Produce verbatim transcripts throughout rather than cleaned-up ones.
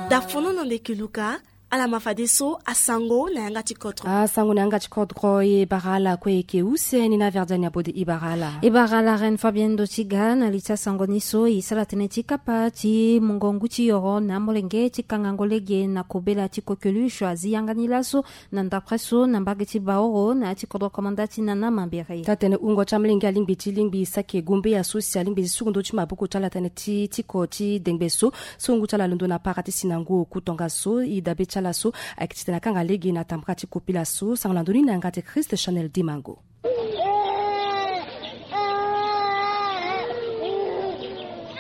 Dafono na ndeke luka. Ala ma fadeso asango na yanga ti kodro. Asango na yanga ti kodro e bara ala kue e yeke use ni na verdiani abode e bara ala. E bara ala Reine Fabienne Ndotiga na li ti asango ni so e sara tënë ti kapa ti mungo ngu ti yoro na amolenge ti kangango lege na kobela ti coqueluche azi yanga ni laso na ndapre so na mbage ti Baoro na ya ti kodro komanda ti Nana Mambere. Taa-tënë wungo ti amolenge alingbi ti lingbi saki gumbeya so si alingbi ti suku ndö ti maboko ti ala tënë ti tiko ti dengbe so. So ngu ti ala alondo na para ti si na ngu oku tongaso e dabe ti ala so ayeke titene akanga lege na tambara ti kopela so. Sango na ndö ni na yanga ti Christ Chanel Dimango.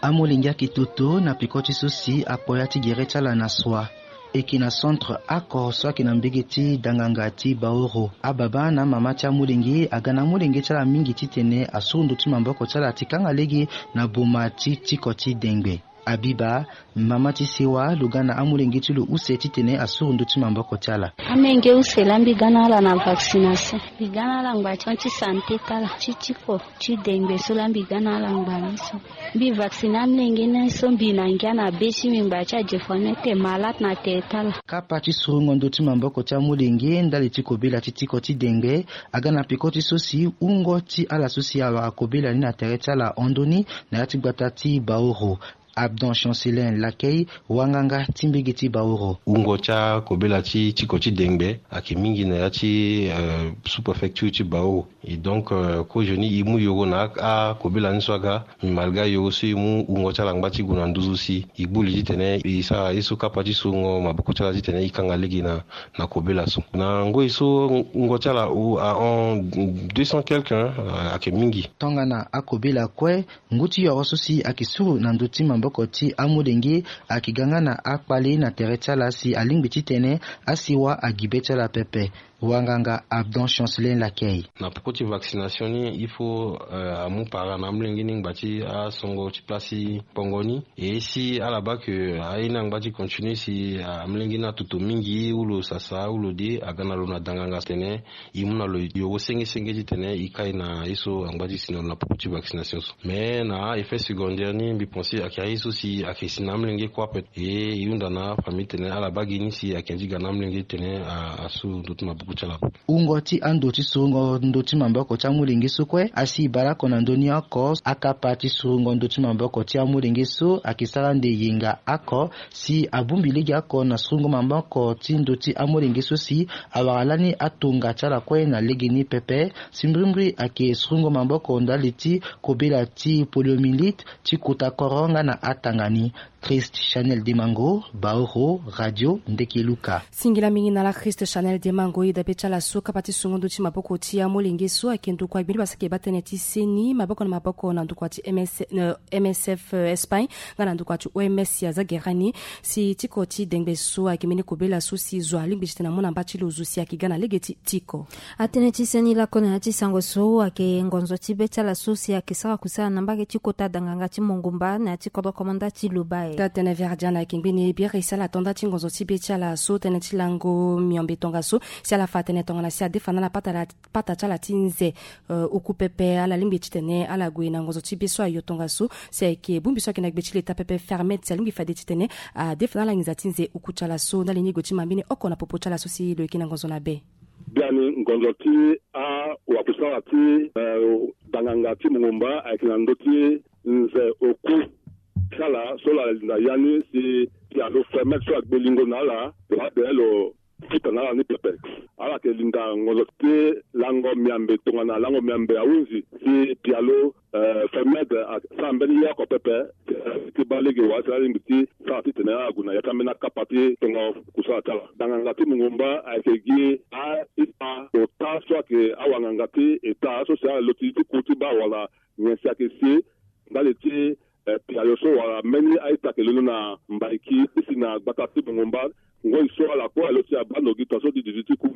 Amolenge ayeke toto na peko ti so si akpo ya ti gere ti ala na sua. E yeke na centre oko so ayeke na mbege ti danganga ti Baoro. Ababa na amama ti amolenge aga na amolenge ti ala mingi titene asuru ndö ti maboko ti ala ti kanga lege na boma ti tiko ti dengbe. Abiba, mama ti sewa, lo ga na amolenge ti lo use titene asuru ndö ti maboko ti ala. Amolenge use laa mbi ga na ala na vaccination. Mbi ga na ala ngba ti hon ti santé ti ala ti tiko ti dengbe so laa mbi ga na ala ngba ni so. Mbi vaccine amolenge ni so mbi na ngia na be ti mbi ngba ti ajefa ni ete malade na tere ti ala. Kapa ti surungo ndö ti maboko ti amolenge ndali ti kobela ti tiko ti dengbe aga na peko ti so si wungo ti ala so si awara kobela ni na tere ti ala hon ndö ni na ya ti gbata ti Baoro. Abdon Chancelin Lakey, wanganga ti mbege ti Baoro. Wungo ti akobela ti tiko ti dengbe ayeke mingi na ya ti, euh, sous-préfecture ti Baoro. Et donc, euh, kozoni e mu yoro na a, akobela ni so aga, malgré yoro so e mu wungo ti ala ngba ti gue na nduzu si e gbu li titene e sara ye so kapa ti surungo maboko ti ala titene e kanga lege na, na kobela so. Na ngoi so wungo ti ala ahon deux cents quelque, hein, ayeke mingi. Tongana akobela kue, ngu ti yoro so si ayeke suru na ndö ti maboko ti amolenge ayeke ga nga na akpale na tere ti ala si alingbi titene asiwa agi be ti ala pepe. Wanganga Abdon Chancelin Lakey. Na poko ti vaccination ni, il faut, euh, amu para na amolenge ni ngba ti asongo ti place ti pongo ni. E si ala baa ke aye ni angba ti continue si, ah, amolenge ni atoto mingi ou lo sasa ou lo de, aga na lo na danganga titene e mu na lo yoro senge senge titene e kai na ye so angba ti si na lo na poko ti vaccination so. Mais na effet secondaire ni mbi pense ayeke aye so si ayeke si na amolenge kue ape. E e hunda na afamille titene ala baa gi ni si ayeke ndi ga na amolenge titene a, asu ndö ti maboko ti ala. Wungo ti ando ti surungo ndö ti maboko ti amolenge so kue asi bale oko na ndö ni oko. Akapa ti surungo ndö ti maboko ti amolenge so ayeke sara nde yenga oko si abongbi lege oko na surungo maboko ti ndö ti amolenge so si awara lani atonga ti ala kue na lege ni pepe. Si mbrimbri ayeke surungo maboko ndali ti kobela ti poliomyélite, ti kota koro nga na atanga ni. Christ Chanel Dimango, Baoro, Radio Ndeke Luka. Singila mingi na ala Christ Chanel Dimango. E dabe ti ala so kapa ti sungo ndö ti maboko ti amolenge so ayeke ndokua gbeni basa ayeke baa tënë ti seni maboko na maboko na ndokua ti M S, euh, M S F, euh, Espagne nga na ndokua ti O M S ya aza gere ni. Si tiko ti dengbe so ayeke mbeni kobela so si zo alingbi titene amu na mba ti lo zo si ayeke ga na lege ti tiko. Atënë ti seni lakue na ya ti sango so ayeke ngonzo ti be ti ala so si ayeke sara kusala na mbage ti kota danganga ti mongumba na ya ti kodro komanda ti Lobaye. Taa-tënë Verdian ayeke ngbeni biri si ala to nda ti ngonzo ti be ti ala so tënë ti lango miombe tongaso si ala fa tënë tongana si adefa na ala pata la pata ti ala ti nze, euh, oku pepe. Ala lingbi titene ala gue na ngonzo ti be so ayo tongaso si ayeke bongbi so ayeke na gbe ti leta pepe Fermed si alingbi fade titene adefa na ala nginza ti nze oku ti ala so. Ndali ni e gue ti ma mbeni oko na popo ti ala so si lo yeke na ngonzo na be. Biani ngonzo ti awakusala ti, euh, danganga ti mongumba ayeke na ndö ti nze oku ti ala so ala linda ya ni si pialo Fermed so agbe lingo na ala lo ade lo futa na ala ni pepe. Ala yeke linda ngonzo ti lango miambe tongana lango miambe ahunzi si pialo, eh, Fermed asara mbeni ye oko pepe ti baa lege wa si ala lingbi ti sara titene ala gue na ya ti ambeni akapa ti tongo kusala ti ala. Danganga ti mongumba ayeke gi a-ita ota so ayeke awanganga ti eta so si ala loti ti ku ti baa wala nyen si ayeke si ndali ti, eh, pialo so wala mbeni a-ita ayeke londo na Mbaiki ti si na gbata ti mongumba. Ngoi so ala kue alo ti abaa ndo gi tongaso ti duti ti ku.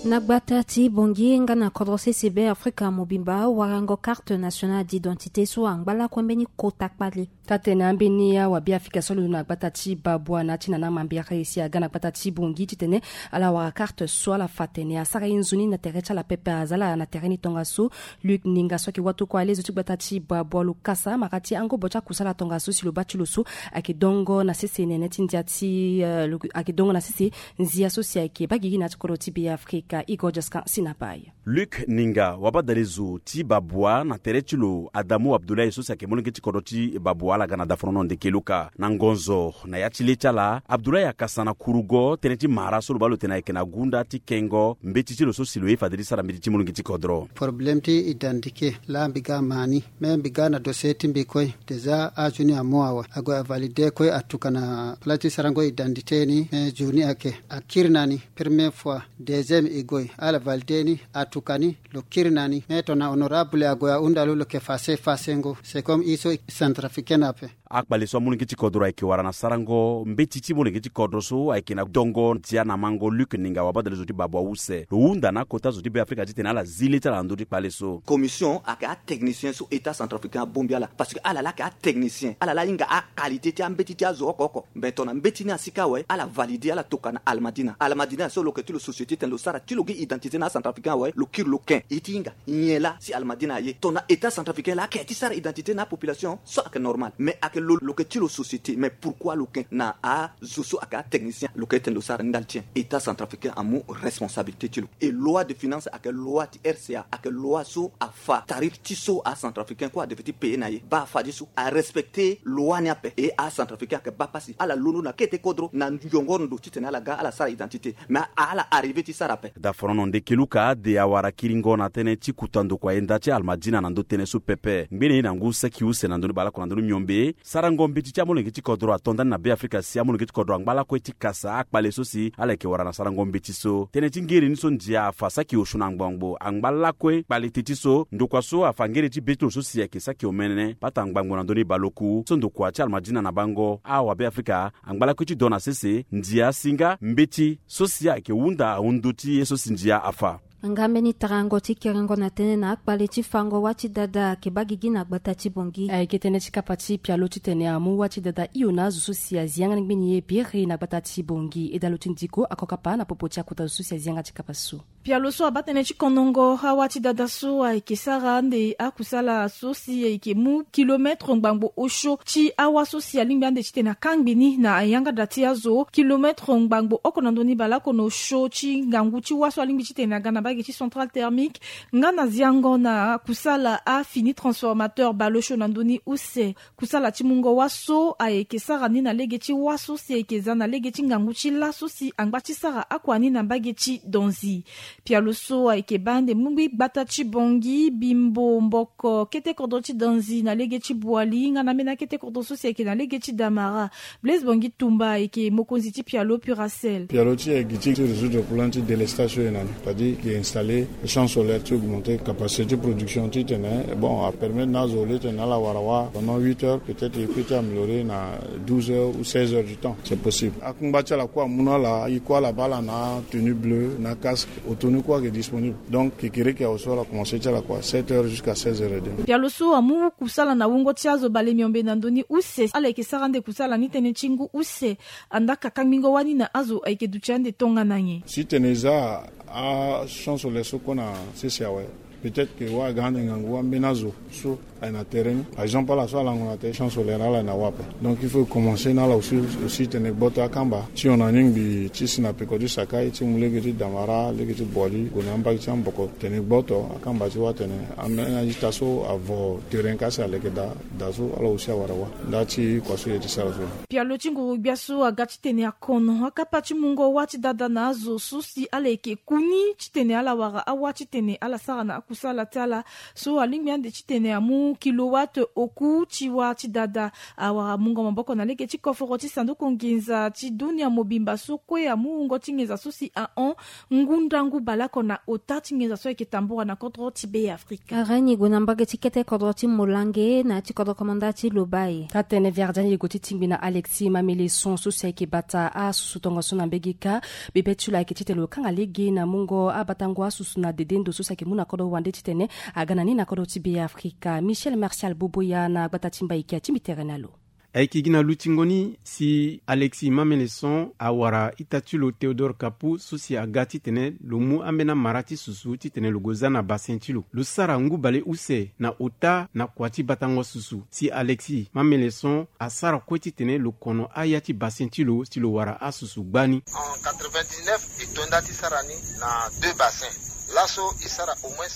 Na gbata ti Bangui nga na kodro sese Be Afrika mobimba, warango carte nationale d'identité so angba lakue mbeni kota kpale. Taa-tene ambeni awa Be Afrika so alondo na gbata ti Babwa na ya ti nana mambere si aga na gbata ti Bangui titene ala wara carte so ala fa tene asara ye nzoni na tere ti ala pepe. Aza ala na tere ni tongaso. Luc Ninga so ayeke watokua alezo ti gbata ti Babwa lo kasa mara ti angobo ti akusala tongaso si lo baa ti lo so ayeke dongo na sese nene ti ndia ti, eh, lo ayeke dongo na sese nzia so si ayeke baa gigi na ya ti kodro ti Be Afrika. Igor Jaskan si na bai. Luc Ninga, wabadalezo ti Babwa, na tere ti lo Adamu Abdoulaye so si ayeke molenge ti kodro ti Babwa, ala ga na dafonono ndeke luka na ngonzo na ya ti le ti ala. Abdoulaye akasa na kurugo tënë ti mara so lo baa lo tene ayeke na gunda ti kengo mbeti ti lo so si lo ye fade ti sara mbeti ti molenge ti kodro. Problème ti identité laa mbi ga ma ni, me mbi ga na dossier ti mbi kue. Déjà azo ni amu awe, ague avalide kue, atuka na place ti sarango identité ni. Me zo ni ayeke akiri na ni première fois, deuxième e gue, ala valide ni, atuka ni, lo kiri na ni. Me tongana honorable ague ahunda lo, lo yeke fasse fasse ngo. C'est comme e so centrafricain ape. Akpale so amolenge ti kodro ayeke wara na sarango mbeti ti molenge ti kodro so ayeke na dongo ndia na mango Luc Ninga, wabadalezo ti Babwa use. Lo hunda na akota zo ti Be Afrika titene ala zi le ti ala na ndö ti kpale so. Commission ayeke atechnicien so État centrafricain abongbi ala, parce que ala laa ayeke atechnicien, ala laa ahinga aqualité ti ambeti ti azo oko oko. Mais tongana mbeti ni asi kâ awe, ala valide, ala toka na Almadina. Almadina so lo yeke ti lo société titene lo sara ti lo gi identité na acentrafricain awe, lo kiri lo ken. E ti hinga nyen laa si Almadina aye? Tongana État centrafricain laa ayeke ti sara identité na apopulation so ayeke normal, mais ayeke lo, lo yeke ti lo société, mais pourquoi lo ken na azo so ayeke atechnicien? Lo yeke titene lo sara ndali ti nyen? État centrafricain amu responsabilité ti lo. Et loi de finance ayeke loi ti R C A, ayeke loi so afa tarif ti so acentrafricain kue adevait ti payer na ye. Baa fade so arespecter loi ni ape. Et acentrafricain ayeke baa pasi, ala londo na kete kodro na yongo ndo titene ala ga ala sara identité. Mais ala arriver ti sara ape. Dafonono ndeke luka ade awara kiringo na tënë ti kuta ndokua yenda ti Almadina na ndö tënë so pepe. Ngbene ye na ngu saki use na ndö ni baleoko na ndö ni miombe, sarango mbeti ti amolenge ti kodro ato ndani na Be Afrika si amolenge ti kodro angba lakue ti kasa akpale so si ala yeke wara na sarango mbeti so. Tënë ti ngere ni so ndia afa saki osio na ngbangbo angba lakue kpale te ti so ndokua so afa ngere ti be ti lo so si ayeke saki omene pata ngbangbo na ndö ni baleoku so ndokua ti Almadina na bango awa Be Afrika angba lakue ti do na sese ndia asi nga mbeti so si ayeke hunda ahundu ti ye so si ndia afa. Nga mbeni tarango ti kerengo na tënë na akpale ti fango wâ ti dada ayeke baa gigi na gbata ti Bangui. Ayeke tënë ti kapa ti pialo titene amu wâ ti dada hio na azo so si azi yanga ni ngbeni ye biri na gbata ti Bangui. E dalo ti ndiko ako kapa na popo ti akota zo so si azi yanga ti kapa so. Pialo so abaa tënë ti konongo awâ ti dada so ayeke sara ande akusala so si ayeke mu kilometre ngbangbo osio ti awâ so si alingbi ande titene akangbi ni na yanga da ti azo. Kilometre ngbangbo oko na ndö ni baleoko na osio ti ngangu ti wâ so alingbi titene aga na mbage ti centrale thermique. Nga na ziango na kusala afini transformateur baleosio na ndö ni use. Kusala ti mungo wâ so ayeke sara ni na lege ti wâ so si ayeke za na lege ti ngangu ti lâ so si angba ti sara akua ni na mbage ti Donzi. Pialo so ayeke baa ande mu gbata ti Bangui, Bimbo, Mboko, kete kodro ti Donzi na lege ti Boali nga na ambeni akete kodro so si ayeke na lege ti Damara. Blaise Bangui Tumba ayeke mokonzi ti pialo Puracell. Pialo ti e gi ti résoudre problème ti délestage so e na ni, c'est-à-dire e installer champ solaire ti augmenter capacité ti production titene bon apermettre na azo le titene ala wara wâ pendant huit heures, peut-être e peut ti améliorer na douze heures ou seize heures du temps, c'est possible. Akungba ti ala kue amu na ala, e kue ala baa ala na tenue bleue na casque, auto ni kue ayeke disponible. Donc kekereke awe so ala commencer ti ala kua sept heures jusqu'à seize heures et demie. Pialo so amu kusala na wungo ti azo bale miombe na ndö ni use. Ala yeke sara ande kusala ni tënë ti ngu use. Andaa ka kangbingo wani na azo ayeke duti ande tongana nyen? Si tene e za achamp solaire so kue na sese awe, peut-être que wâ aga ande ngangu ambeni azo so aye na terrain ni. Par exemple ala so alango na terrain, champ solaire ala aye na wâ ape. Donc il faut e commencer na ala aussi, aussi tene e gboto akamba ti hon na ni ngbii ti si na peko ti Sakai ti mu lege ti Damara, lege ti Boali gue na ambage ti Amboko, tene e gboto akamba ti wâ tene ambeni a-ita so avo terrain ka si aleke daa, daa so ala aussi awara wâ. Nda ti kua so e ye ti sara so. Pialo ti nguru-gbia so aga titene akono akapa ti mungo wâ ti dada na azo so si ala yeke ku ni titene ala wara awâ titene ala sara na aku Kusala ti ala so alingbi ande titene amu kilowatt oku ti wâ ti dada awara mungo maboko na lege ti koforo ti sanduku nginza ti dunia mobimba so kue amu wungo ti nginza so si ahon ngu ndangu baleoko na ota ti nginza so ayeke tambura na kodro ti Be Afrika. Areni gue na mbage ti kete kodro ti Molange na ya ti kodro komanda ti Lobaye. Taa tene Viardien ye gue ti tingbi na Alexis Mameleson so si ayeke bata asusu tongaso na mbege kâ. Bebe ti lo ayeke titene lo kanga lege na mungo abatango asusu na dede ndo so si ayeke mu na kodro wande titene aga na ni na kodro ti Be Afrika. Michel Martial Boboya na gbata ti Mbaiki atingbi tere na lo. Ayeke gi na lutingo ni si Alexis Mameleson awara ita ti lo Théodore Kapu so si aga titene lo mu ambeni amara ti susu titene lo gue za na basen ti lo. Lo sara ngu bale use na ota na kua ti batango susu si Alexis Mameleson asara kue titene lo kono aya ti basen ti lo si lo wara asusu gbani. En quatre-vingt-dix-neuf e to nda ti sara ni na deux bassins. Laso e sara au moins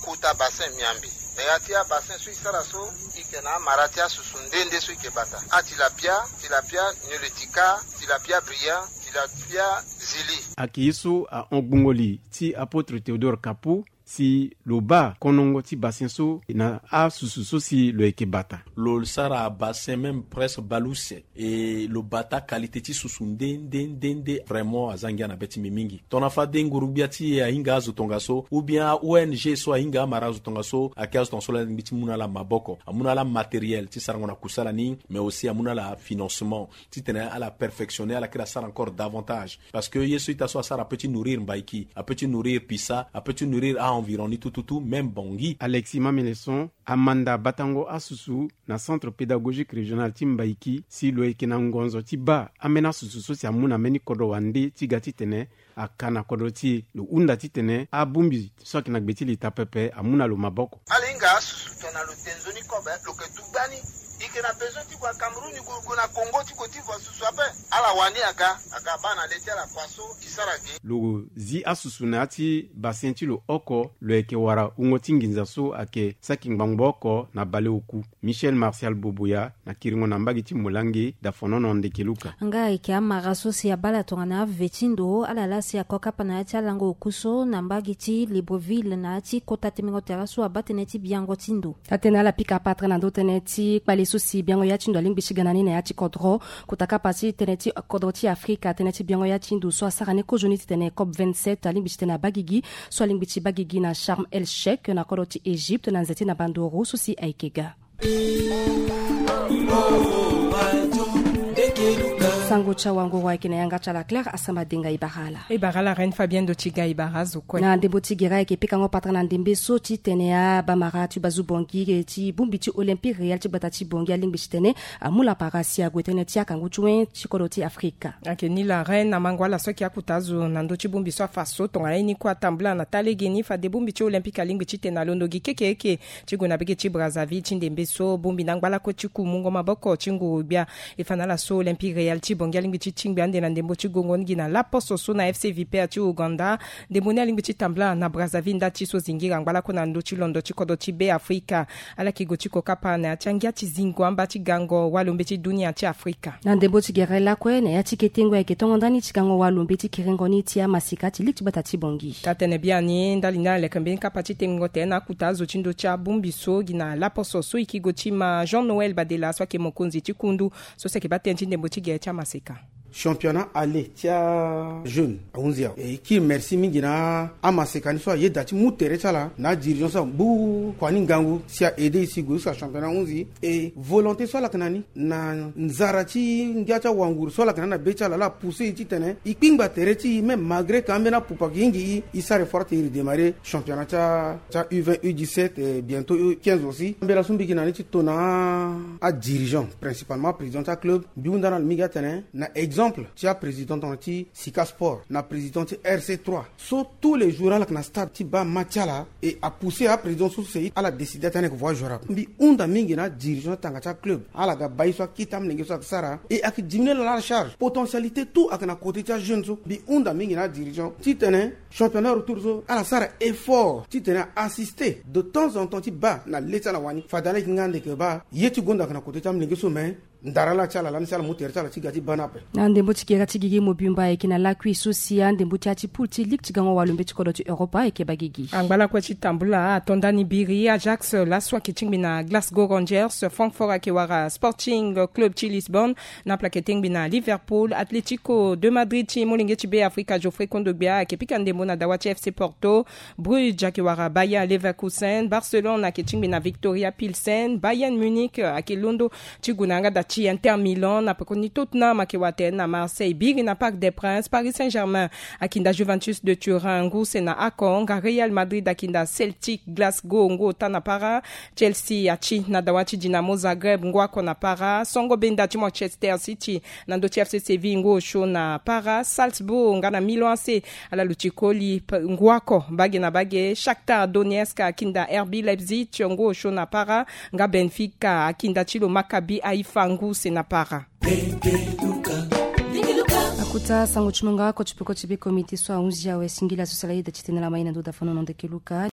kota bassin miambe. Na ya ti abassin so e sara so, e yeke na amara ti asusu nde nde so e yeke bata: atilapia, tilapia nilotica, tilapia brillant, tilapia zili. Ayeke ye so ahon gbungo li ti apôtre Théodore Kapu si lo baa konongo ti bassin so na asusu so si lo yeke bata. Lo sara bassin même presque baleuse. E lo bata qualité ti susu nde nde nde nde. Vraiment aza ngia na be ti mbi mingi. Tongana fade nguru-gbia ti e ahinga azo tongaso ou bien a-O N G so ahinga amara azo tongaso, ayeke azo tongaso laa alingbi ti mu na ala maboko, amu na ala matériel ti sarango na kusala ni, mais aussi amu na ala financement titene ala perfectionner, ala kiri asara encore davantage. Parce que ye so ita so asara apeut ti nourrir Mbaiki, apeut ti nourrir Pisa, apeut ti nourrir a-environ ni tout tout tout, même Bangui. Alexis Mameleson amanda batango asusu na Centre Pédagogique Régional ti Mbaiki si lo yeke na ngonzo ti baa ambeni asusu so si amu na mbeni kodro wande ti ga titene aka na kodro ti e. Lo hunda titene abongbi so ayeke na gbe ti leta pepe amu na lo maboko. Ala hinga asusu tongana lo te nzoni kobe, lo yeke tu gbani. E yeke na besoin ti gue na Cameroun, e gue, gue na Congo ti Côte d'Ivoire, susu ape. Ala wani aga, aga baa na le ti ala kua so e sara ge. Lo zi asusu na ya ti bassin ti lo oko, lo yeke wara wungo ti nginza so ayeke saki ngbangbo oko na baleoku. Michel Martial Boboya na kiringo na mbage ti Molange, Dafonono Ndekeluka. Nga ayeke amara so si abaa ala tongana ave ti ndo, ala laa si ako kapa na ya ti alango oku so na mbage ti Libreville na ya ti kota temengo tere so abaa tënë ti biango ti ndo. Atene ala pika patara na ndö tënë ti kpale so si biango ya ti ndo alingbi ti ga na ni na ya ti kodro. Kota kapa ti tënë ti kodro ti Afrika, tënë ti biango ya ti ndo so asara ni kozoni titene COP vingt-sept alingbi titene abaa gigi, so alingbi ti baa gigi na Sharm El Sheikh na kodro ti Égypte na nze ti na bandoro so si ayeke ga. Sango ti awanguru ayeke na yanga ti ala Claire Asama Denga. E bara ala. E bara ala Reine Fabienne do ti ga. E bara azo kue. Na ndembo ti gere ayeke pikango patara na ndembe so titene abamara ti bazu Bangui ti bongbi ti Olympique Royal ti gbata ti Bangui alingbi titene amu lapara si ague tënë ti akangu ti wen ti kodro ti Afrika. Ayeke ni la Reine, na mango ala so ayeke akuta azo na ndö ti bongbi so afa so tongana ye ni kue atambula na taa legeni fade bongbi ti Olympique alingbi titene alondo gi kekeeke ti gue na bege ti Brazzaville ti ndembe so bongbi na angba lakue ti ku mungo maboko ti nguru-gbia. E fa na ala so Olympique Royal ti Bangui alingbi ti tingbi ande na ndembo ti gongo ni gi na laposo so na F C Vipers ti Ouganda. Ndembo ni alingbi ti tambula na Brazzaville nda ti so zingira angba lakue na ndö ti londo ti kodro ti Be Afrika. Ala yeke gue ti ko kapa na ya ti angia ti zingo amba ti gango walombe ti dunia ti Afrika. Na ndembo ti gere lakue na ya ti ketengo ayeke tongo ndani ti gango walombe ti kerengo ni ti amaseka ti ligi ti gbata ti Bangui. Taa tene biani ndali ni ala leke mbeni kapa ti tengo tere na akuta azo ti ndö ti abongbi so gi na laposo so e yeke gue ti ma Jean Noël Badela so ayeke mokonzi ti kundu so si ayeke baa tënë ti ndembo ti gere ti amaseka. Championnat aller ti ajeune ahunzi awe. E kiri merci mingi na amaseka ni so ayeda ti mu tere ti ala na adirigeant so ambu kua ni ngangu si a aide e si gue jusqu'à championnat ahunzi. E volonté so ala yeke na ni na nzara ti ngia ti awanguru so ala yeke na ni na be ti ala, ala pousse e titene e kpingba tere ti e même malgré que ambeni apupa ayeke hingi e, e sara effort ti e redémarrer championnat ti a, ti a U vingt, U dix-sept, eh, bientôt U quinze aussi. Ambeni so mbi yeke na ni ti tona adirigeant, principalement président ti aclub, mbi hunda na ala mingi atene na exemple ti aprésident tongana ti Sika Sport na président ti R C trois, so tous les jours ala yeke na stade ti baa match ti ala et apousse aprésident so si ala décide atene ayeke voie joueur. Mbi hunda mingi na adirigeant tanga ti aclub, ala ga baa ye so akita amolenge so ayeke sara et ayeke diminuer na ala charge. Potentialité tout ayeke na côté ti ajeune so. Mbi hunda mingi na adirigeant titene championnat retour so ala sara effort titene a assister de temps en temps ti baa na le ti ala wani. Fade ala yeke nga ande yeke baa ye ti gonda ayeke na côté ti amolenge so, mais Ndara laa ti ala lani ti ala mu tere ti ala ti ga ti baa ni ape. Na ndembo ti gera ti gigi mobimba ayeke na lakui so si andembo ti ya ti poule ti ligue ti gango walo mbeti kodro ti Europa ayeke baa gigi. Angba lakue ti tambula ato ndani biri. Ajax laso ayeke tingbi na Glasgow Rangers, Francfort ayeke wara Sporting Club ti Lisbonne, Naples ayeke tingbi na Liverpool, Atlético de Madrid ti molenge ti Be Afrika Geoffrey Kondogbia ayeke pika ndembo na dawa ti FC Porto, Bruges ayeke wara Bayer Leverkusen, Barcelone ayeke tingbi na Victoria Pilsen, Bayern Munich ayeke londo ti gue na yanga da ti Inter Milan, na pekoni Tottenham ayeke wara tene na Marseille. Biri na Parc des Princes, Paris Saint-Germain akinda Juventus de Turin ngu se na ako, nga Real Madrid akinda Celtic Glasgow ngu ota na para, Chelsea ati na dawa ti Dinamo Zagreb ngu ako na para, songo benda ti Manchester City na ndö ti FC Séville ngu osio na para, Salzbourg nga na Milan A C ala luti koli ngu ako bage na bage, Shakhtar Donetsk akinda R B Leipzig ngu osio na para, nga Benfica akinda ti lo Maccabi Haifa ngu se na para. Akuta sango ti mungo oko ti peko ti be komite so ahunzi awe singila so sala ida ti tene lama ye na ndo da fano na ndeke luka.